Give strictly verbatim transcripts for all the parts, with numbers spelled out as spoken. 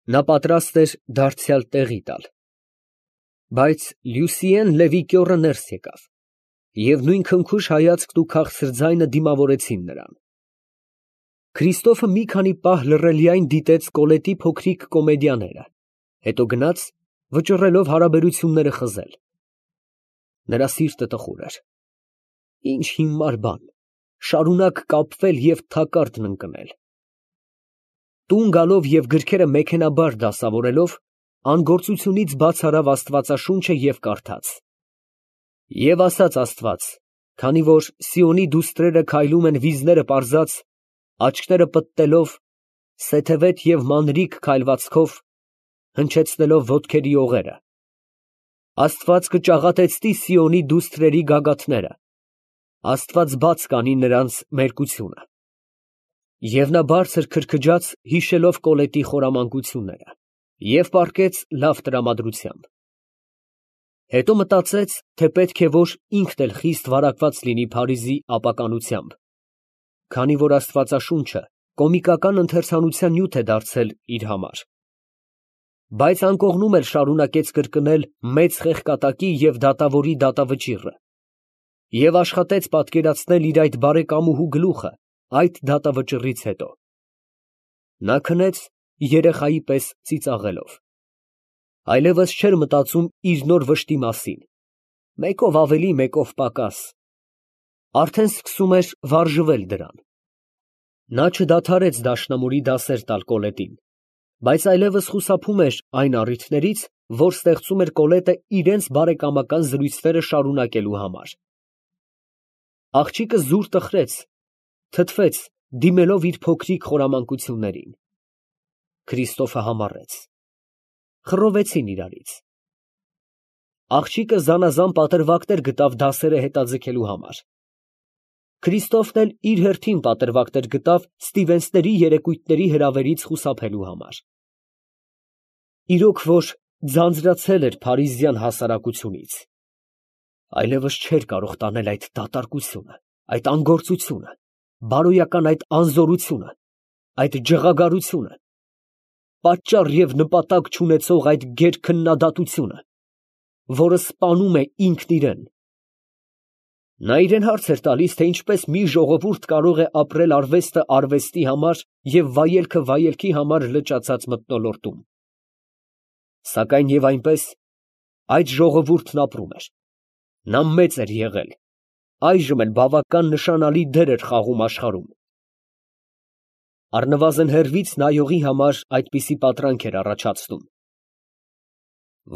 Նա պատրաստ էր դարձյալ տեղի տալ։ Բայց Լյուսիեն Լևի կյոռը ներս եկավ, և նույն քնքուշ հայացքն ու քաղցր ձայնը դիմավորեցին նրան։ Քրիստոֆը մի քանի պահ լռելիայն դիտեց Կոլետի փոքրիկ կոմեդիաները, հետո գնաց, վճռելով հարաբերությունները խզել։ Նրա սիրտը տխուր էր։ Ինչ հիմար բան, շարունակ կապվել և թակարդն ընկնել։ Տուն գալով և գրքերը մեքենայաբար դասավորելով, անգործությունից բաց արավ աստվածաշունչը և կարդաց. «Եվ ասաց Աստված, քանի որ Սիոնի դուստրերը քայլում են վիզները պարզած, աչքները պտտելով, սեթևետ և մանրիկ քայլվածքով, հնչեցնելով ոտքերի օղերը, Աստված կճաղատեցնի Սիոնի դուստրերի գագաթները, Աստված բաց կանի նրանց մերկությունը»։ Եվ նա բարձր քրքջաց, հիշելով Կոլետի խորամանկությունները, և պառկեց լավ տրամադրությամբ։ Հետո մտածեց, թե պետք է որ ինքն էլ խիստ վարակված լինի Փարիզի ապականությամբ, քանի որ աստվածաշունչը կոմիկական ընթերցանության նյութ է դարձել իր համար։ Բայց անկողնում էլ շարունակեց կրկնել մեծ խեղկատակի և դատավորի դատավճիռը և աշխատեց պատկերացնել իր այդ բարեկամուհու գլուխը այդ դատավճիռից հետո։ Նա քնեց երեխայի պես ծիծաղելով։ Այլևս չէր մտածում իր նոր վշտի մասին, մեկով ավելի, մեկով պակաս, արդեն սկսում էր վարժվել դրան։ Նա չդադարեց դաշնամուրի դասեր տալ Կոլետին, բայց այլևս խուսափում էր այն առիթներից, որ ստեղծում էր Կոլետը իրենց բարեկամական զրույցները շարունակելու համար։ Աղջիկը զուր տխրեց, թթվեց, դիմելով իր փոքրիկ խորամանկություններին։ Քրիստոֆը համառեց։ Խռովեցին իրարից։ Աղջիկը զանազան պատրվակներ գտավ դասերը հետաձգելու համար։ Քրիստոֆն էլ իր հերթին պատրվակներ գտավ Ստիվենսների երեկույթների հրավերից խուսափելու համար։ Իրոք որ ձանձրացել էր փարիզյան հասարակությունից, այլևս չէր կարող տանել այդ դատարկությունը, այդ անգործությունը, բարոյական այդ անզորությունը, այդ ջղագարությունը, պատճառ և նպատակ չունեցող այդ գերքննադատությունը, որը սպանում է ինքն իրեն։ Նա իրան հարց էր տալիս, թե ինչպես մի ժողովուրդ կարող է ապրել արվեստը արվեստի համար և վայելքը վայելքի համար լճացած մթնոլորտում։ Սակայն և այնպես այդ ժողովուրդն ապրում էր։ Նա մեծ էր եղել, այժմ էլ բավական նշանալի դեր էր խաղում աշխարհում։ Առնվազն հեռվից նայողի համար այդպիսի պատրանք էր առաջացնում։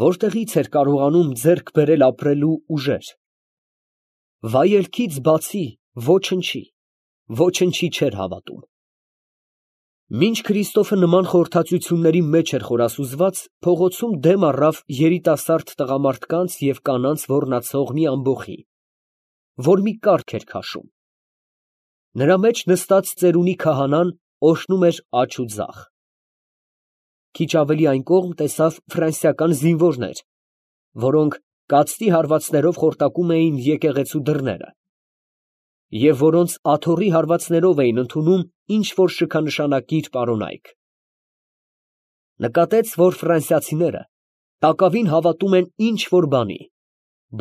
Որտեղի՞ց էր կարողանում ձեռք բերել ապրելու ուժեր։ Վայելքից բացի ոչնչի, ոչնչի չէր հավատում։ Մինչ Քրիստոֆը նման խորհրդածությունների մեջ էր խորասուզված, փողոցում դեմ առավ երիտասարդ տղամարդկանց և կանանց ոռնացող մի ամբոխի, որ մի կառք էր քաշում։ Նրա մեջ նստած ծերունի քահանան օրհնում էր աջ ու ձախ։ Քիչ ավելի այն կողմ տեսավ ֆրանսիական զինվորներ, որոնք կացտի հարվածներով խորտակում էին եկեղեցու դռները, և որոնց աթոռի հարվածներով էին ընդունում ինչ֊որ շքանշանակիր պարոնայք։ Նկատեց, որ ֆրանսիացիները տակավին հավատում են ինչ֊որ բանի,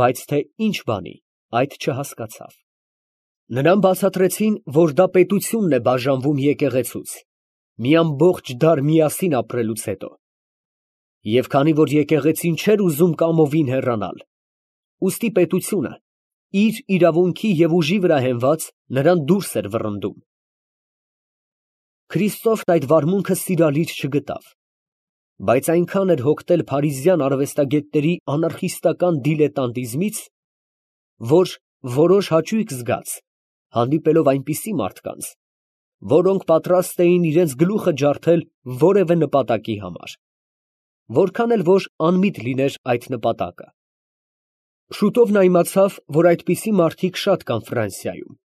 բայց թե ինչ բանի, այդ չհասկացավ։ Նրան բացատրեցին, որ դա պետությունն է բաժանվում եկեղեցուց, մի ամբողջ դար միասին ապրելուց հետո, և քանի որ եկեղեցին չէր ուզում կամովին հեռանալ, ուստի պետությունը, իր իրավունքի և ուժի վրա հենված, նրան դուրս էր վռնդում։ Քրիստոֆն այդ վարմունքը սիրալիր չգտավ, բայց այնքան էր հոգնել փարիզյան արվեստագետների անարխիստական դիլետանտիզմից, որ որոշ հաճույք զգաց, հանդիպելով այնպիսի մարդկանց, որոնք պատրաստ էին իրենց գլուխը ջարդել որևէ նպատակի համար, որքան էլ որ անմիտ լիներ այդ նպատակը։ Շուտով նա իմացավ, որ այդպիսի մարդիկ շատ կան Ֆրանսիայում։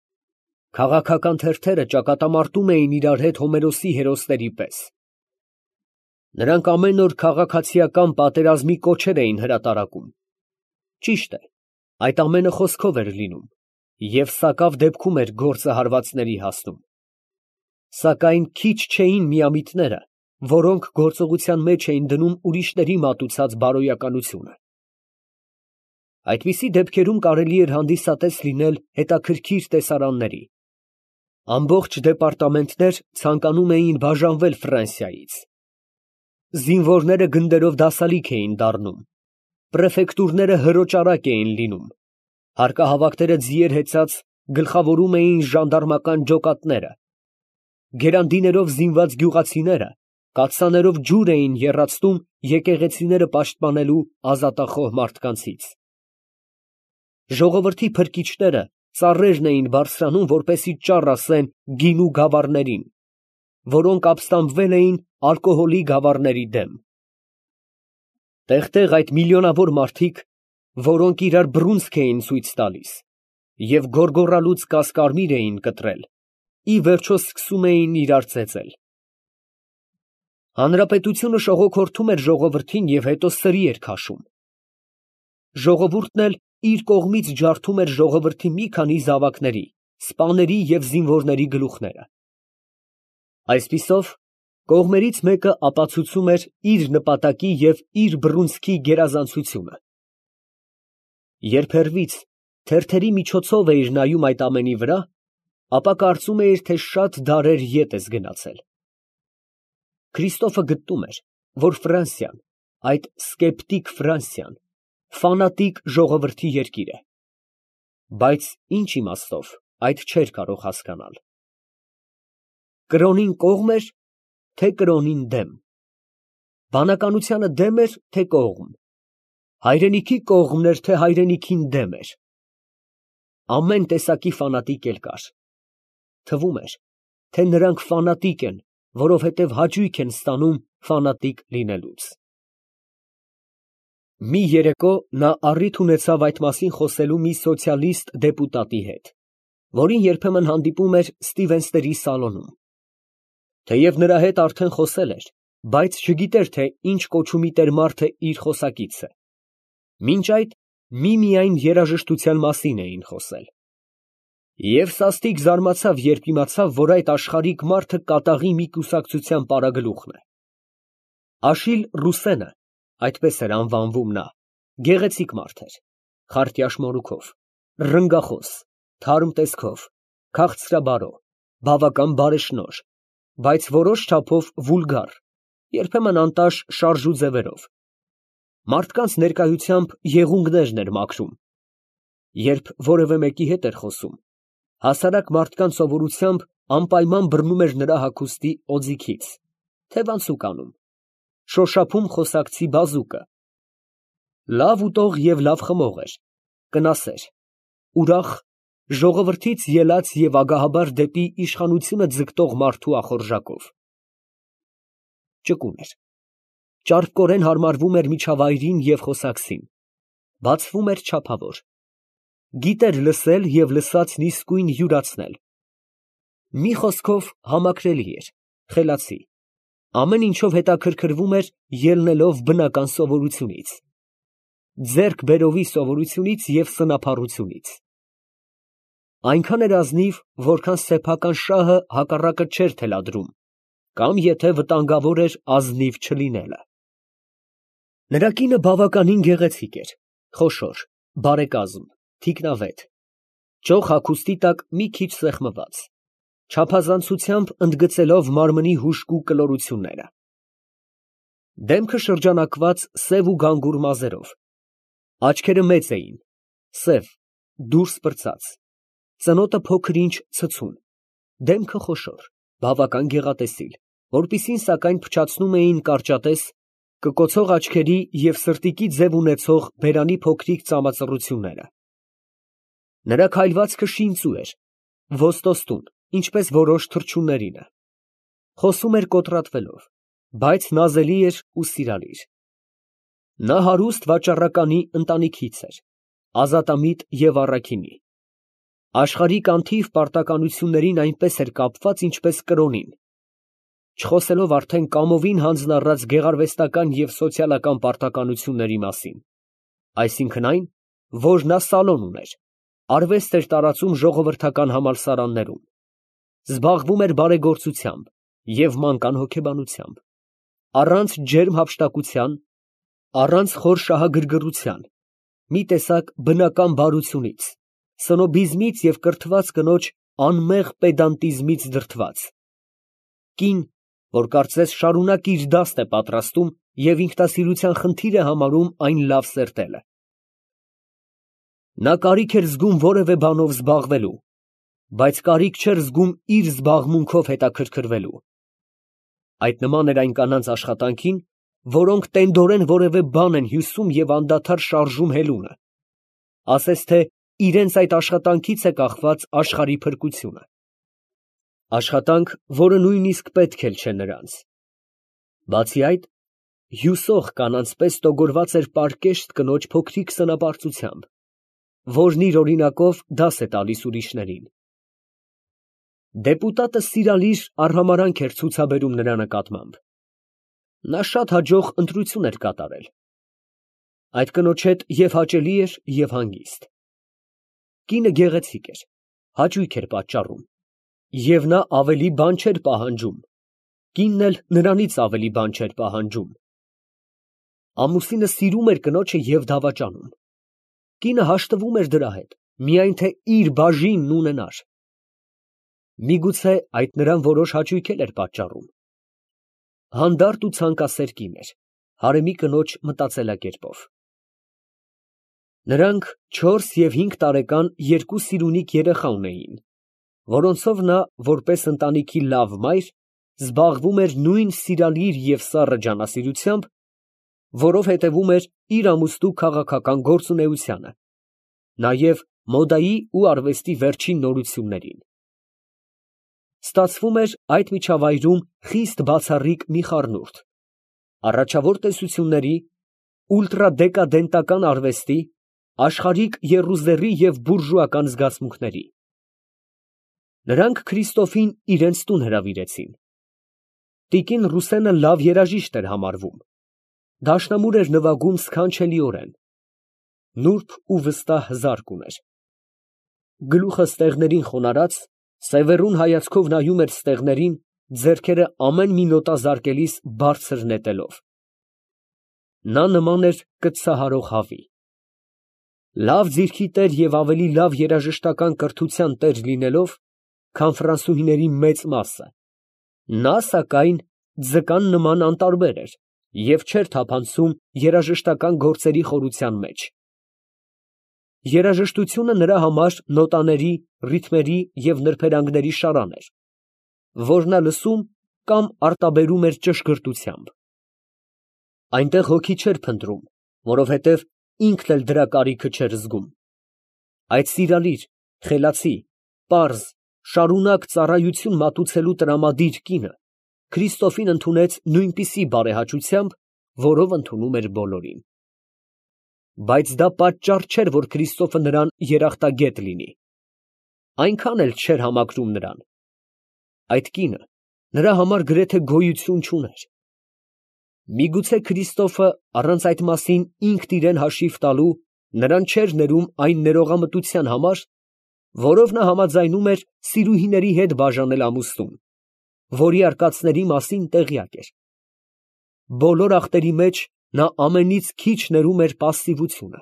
Քաղաքական թերթերը ճակատամարտում էին իրար հետ Հոմերոսի հերոսների պես։ Նրանք ամեն օր քաղաքացիական պատերազմի կոչեր էին հրատարակում։ Ճիշտ է, այդ ամենը խոսքով էր լինում և սակավ դեպքում էր գործը հարվածների հասնում։ Սակայն քիչ չէին միամիտները, որոնք գործողության մեջ էին դնում ուրիշների մատուցած բարոյականությունը։ Այդպիսի դեպքերում կարելի էր հանդիսատես լինել հետաքրքիր տեսարանների։ Ամբողջ դեպարտամենտներ ցանկանում էին բաժանվել Ֆրանսիայից։ Զինվորները գնդերով դասալիք էին դառնում, պրեֆեկտուրները հրոճարակ էին լինում, հարկահավաքները ձիեր հեծած գլխավորում էին ժանդարմական ջոկատները, գերանդիներով զինված գյուղացիները կաթսաներով ջուր էին եռացնում եկեղեցիները պաշտպանելու ազատախոհ մարդկանցից։ Ժողովրդի փրկիչները ծառերն էին բարձրանում, որպեսզի ճառ ասեն գինու գավառներին, որոնք ապստամբվել էին ալկոհոլի գավառների դեմ։ Տեղ֊տեղ այդ միլիոնավոր մարդիկ, որոնք իրար բռունցք էին ցույց տալիս և գոռգոռալուց կասկարմիր էին կտրել, ի վերջո սկսում էին իրար ծեծել։ Հանրապետությունը շողոքորթում էր ժողովրդին և հետո սրի էր քաշում։ Ժողովուրդն էլ իր կողմից ջարդում էր ժողովրդի մի քանի զավակների, սպաների և զինվորների գլուխները։ Այսպիսով, կողմերից մեկը ապացուցում էր իր նպատակի և իր բռունցքի գերազանցությունը։ Երբ հեռվից թերթերի միջոցով էիր նայում այդ ամենի վրա, ապա կարծում էիր, թե շատ դարեր ետ ես գնացել։ Քրիստոֆը գտնում էր, որ Ֆրանսիան, այդ սկեպտիկ Ֆրանսիան, ֆանատիկ ժողովրդի երկիր է, բայց ինչ իմաստով, այդ չէր կարող հասկանալ։ Կրոնին կողմ էր, թե կրոնին դեմ, բանականությանը դեմ էր, թե կողմ, հայրենիքի կողմն էր, թե հայրենիքին դեմ էր։ Ամեն տեսակի ֆանատիկ էլ կար։ Թվում էր, թե նրանք ֆանատիկ են, որովհետև հաճույք են ստանում ֆանատիկ լինելուց։ Մի երեկո նա առիթ ունեցավ այդ մասին խոսելու մի սոցիալիստ դեպուտատի հետ, որին երբեմն հանդիպում էր Ստիվենսների սալոնում։ Թեև նրա հետ արդեն խոսել էր, բայց չգիտեր, թե ինչ կոչումի տեր մարդը իր խոսակիցը։ Մինչ այդ միմիայն երաժշտության մասին էին խոսել։ Եվ սաստիկ զարմացավ, երբ իմացավ, որ այդ աշխարհիկ մարդը կատաղի մի կուսակցության պարագլուխն է։ Աշիլ Ռուսենը, այդպես էր անվանվում նա, գեղեցիկ մարդ էր, խարտյաշ մորուքով, ռնգախոս, թարմ տեսքով, քաղցրաբարո, բավական բարեշնորհ, բայց որոշ չափով վուլգար, երբեմն անտաշ շարժու ձևերով։ Մարդկանց ներկայությամբ եղունգներն էր մաքրում։ Երբ որևէ մեկի հետ էր խոսում, հասարակ մարդկանց սովորությամբ անպայման բռնում էր նրա հագուստի օձիքից, թևանցուկ անում, շոշափում խոսակցի բազուկը։ Լավ ուտող և լավ խմող էր, կնասեր, ուրախ, ժողովրդից ելած և ագահաբար դեպի իշխանությունը ձգտող մարդու ախորժակով։ Ճկուն էր, ճարպկորեն հարմարվում էր միջավայրին և խոսակցին, բացվում էր չափավոր, գիտեր լսել և լսածն իսկույն յուրացնել։ Մի խոսքով համակրելի էր, խելացի, ամեն ինչով հետաքրքրվում էր ելնելով բնական սովորությունից, ձեռք բերովի սովորությունից և սնափառությունից։ Այնքան էր ազնիվ, որքան սեփական շահը հակառակը չէր թելադրում, կամ եթե վտանգավոր էր ազնիվ չլինելը։ Նրա կինը բավականին գեղեցիկ էր, խոշոր, բարեկազմ, թիկնավետ, ճոխ հագուստի տակ մի քիչ սեղմված, չափազանցությամբ ընդգծելով մարմնի հուժկու կլորությունները։ Դեմքը շրջանակված սև ու գանգուր մազերով, աչքերը մեծ էին, սև, դուրս պրծած, ծնոտը փոքր֊ինչ ցցուն, դեմքը խոշոր, բավական գեղատեսիլ, որպիսին սակայն փչացնում էին կարճատես, կկոցող աչքերի և սրտիկի ձև ունեցող բերանի փոքրիկ ծամածռությունները։ Նրա քայլվածքը շինծու էր, ոստոստուն, ինչպես որոշ թռչուններինը։ Խոսում էր կոտրատվելով, բայց նազելի էր ու սիրալիր։ Նա հարուստ վաճառականի ընտանիքից էր, ազատամիտ և առաքինի։ Աշխարհիկ անթիվ պարտականություններին այնպես էր կապված, ինչպես կրոնին, չխոսելով արդեն կամովին հանձնառած գեղարվեստական և սոցիալական պարտականությունների մասին, այսինքն այն, որ նա սալոն ուներ, արվեստ էր տարածում ժողովրդական համալսարաններում, զբաղվում էր բարեգործությամբ և մանկան հոգեբանությամբ, առանց ջերմ հափշտակության, առանց խոր շահագրգռության, մի տեսակ բնական բարությունից, սնոբիզմից և կրթված կնոջ անմեղ պեդանտիզմից դրդված, կին, որ կարծես շարունակ իր դաստ է պատրաստում և ինքնասիրության խնդիր է համարում այն լավ սերտելը։ Նա կարիք էր զգում որևէ բանով զբաղվելու, բայց կարիք չէր զգում իր զբաղմունքով հետաքրքրվելու։ Այդ նման էր այն կանանց աշխատանքին, որոնք տենդորեն որևէ բան են հյուսում և անդադար շարժում հելունը, ասես թե իրենց այդ աշխատանքից է կախված աշխարհի փրկությունը, աշխատանք, որը նույնիսկ պետք էլ չէ նրանց։ Բացի այդ, հյուսող կանանց պես տոգորված էր պարկեշտ կնոջ փոքրիկ սնապարծությամբ, որն իր օրինակով դաս է տալիս ուրիշներին։ Դեպուտատը սիրալիր արհամարհանք էր ցուցաբերում նրա նկատմամբ։ Նա շատ հաջող ընտրություն էր կատարել։ Այդ կնոջ հետ և հաճելի էր, և հանգիստ։ Կինը գեղեցիկ էր, հաճույք էր պատճառում, և նա ավելի բան չէր պահանջում, կինն էլ նրանից ավելի բան չէր պահանջում։ Ամուսինը սիրում էր կնոջը և դավաճանում։ Կինը հաշտվում էր դրա հետ, միայն թե իր բաժինն ունենար։ Միգուցե այդ նրան որոշ հաճույք էլ էր պատճառում։ Հանդարտ ու ցանկասեր կին էր, հարեմի կնոջ մտածելակերպով։ Նրանք չորս և հինգ տարեկան երկու սիրունիկ երեխա ունեին, որոնցով նա, որպես ընտանիքի լավ մայր, զբաղվում էր նույն սիրալիր և սառը ջանասիրությամբ, որով հետևում էր իր ամուսնու քաղաքական գործունեությանը, նաև մոդայի ու արվեստի վերջին նորություններին։ Ստացվում էր այդ միջավայրում խիստ բացառիկ մի խառնուրդ, առաջավոր տեսությունների, ուլտրադեկադենտական արվեստի, աշխարհիկ եռուզեռի և բուրժուական զգացմունքների։ Նրանք Քրիստոֆին իրենց տուն հրավիրեցին։ Տիկին Ռուսենը լավ երաժիշտ էր համարվում, դաշնամուր էր նվագում սքանչելիորեն, նուրբ ու վստահ զարկ ուներ։ Գլուխը ստեղներին խոնարհած, սևեռուն հայացքով նայում էր ստեղներին, ձեռքերը ամեն մի նոտա զարկելիս բարձր նետելով։ Նա նման էր կտցահարող հավի։ Լավ ձիրքի տեր և ավելի լավ երաժշտական կրթության տեր լինելով, քան ֆրանսուհիների մեծ մասը, նա, սակայն, ձկան նման անտարբեր էր և չէր թափանցում երաժշտական գործերի խորության մեջ։ Երաժշտությունը նրա համար նոտաների, ռիթմերի և նրբերանգների շարան էր, որ նա լսում կամ արտաբերում էր ճշգրտությամբ։ Այնտեղ հոգի չէր փնտրում, որովհետև ինքն էլ դրա կարիքը չէր զգում։ Այդ սիրալիր, խելացի, պարզ, շարունակ ծառայություն մատուցելու տրամադիր կինը Քրիստոֆին ընդունեց նույնպիսի բարեհաճությամբ, որով ընդունում էր բոլորին։ Բայց դա պատճառ չէր, որ Քրիստոֆը նրան երախտագետ լինի։ Այնքան էլ չէր համակրում նրան։ Այդ կինը նրա համար գրեթե գոյություն չուներ։ Միգուցե Քրիստոֆը առանց այդ մասին ինքն իրան հաշիվ տալու նրան չէր ներում այն ներողամտության համար, որով նա համաձայնում էր սիրուհիների հետ բաժանել ամուսնուն, որի արկածների մասին տեղյակ էր։ Բոլոր ախտերի մեջ նա ամենից քիչ ներում էր պասիվությունը։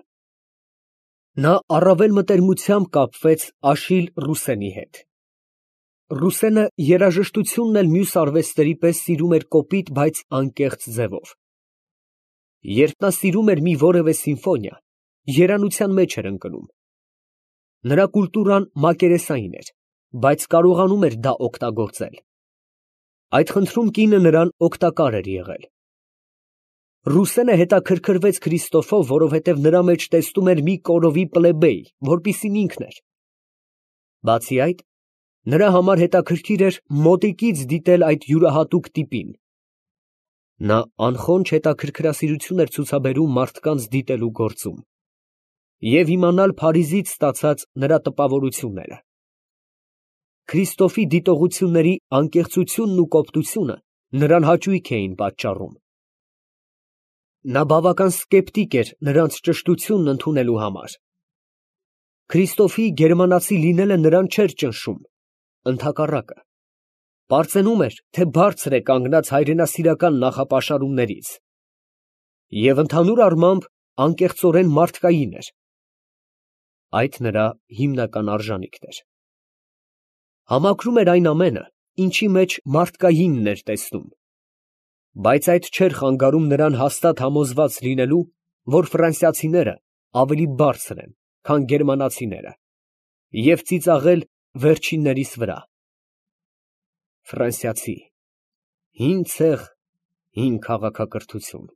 Նա առավել մտերմությամբ կապվեց Աշիլ Ռուսենի հետ։ Ռուսենը երաժշտությունն էլ մյուս արվեստների պես սիրում էր կոպիտ, բայց անկեղծ ձևով։ Երբ նա սիրում էր մի որևէ սիմֆոնիա, երանության մեջ էր ընկնում։ Նրա կուլտուրան մակերեսային էր, բայց կարողանում էր դա օգտագործել։ Այդ խնդրում կինը նրան օգտակար էր եղել։ Ռուսենը հետաքրքրվեց Քրիստոֆով, որովհետև նրա մեջ տեսնում էր մի կորովի պլեբեյ, որպիսին ինքն էր։ Բացի այդ, նրա համար հետաքրքիր էր մոտիկից դիտել այդ յուրահատուկ տիպին։ Նա անխոնջ հետաքրքրասիրություն էր ցուցաբերում մարդկանց դիտելու գործում և իմանալ Փարիզից ստացած նրա տպավորությունները։ Քրիստոֆի դիտողությունների անկեղծությունն ու կոպտությունը նրան հաճույք էին պատճառում։ Նա բավական սկեպտիկ էր նրանց ճշտությունն ընդունելու համար։ Քրիստոֆի գերմանացի լինելը նրան չէր ճնշում, ընդհակառակը։ Պարծենում էր, թե բարձր է կանգնած հայրենասիրական նախապաշարումներից, և ընդհանուր առմամբ անկեղծորեն մարդկային էր. այդ նրա հիմնական արժանիքն էր։ Համակրում էր այն ամենը, ինչի մեջ մարդկայինն էր տեսնում, բայց այդ չէր խանգարում նրան հաստատ համոզված լինելու, որ ֆրանսիացիները ավելի բարձր են, քան գերմանացիները, և ծիծաղել վերջիններիս վրա։ Ֆրանսիացի, հին ցեղ, հին քաղաքակրթություն։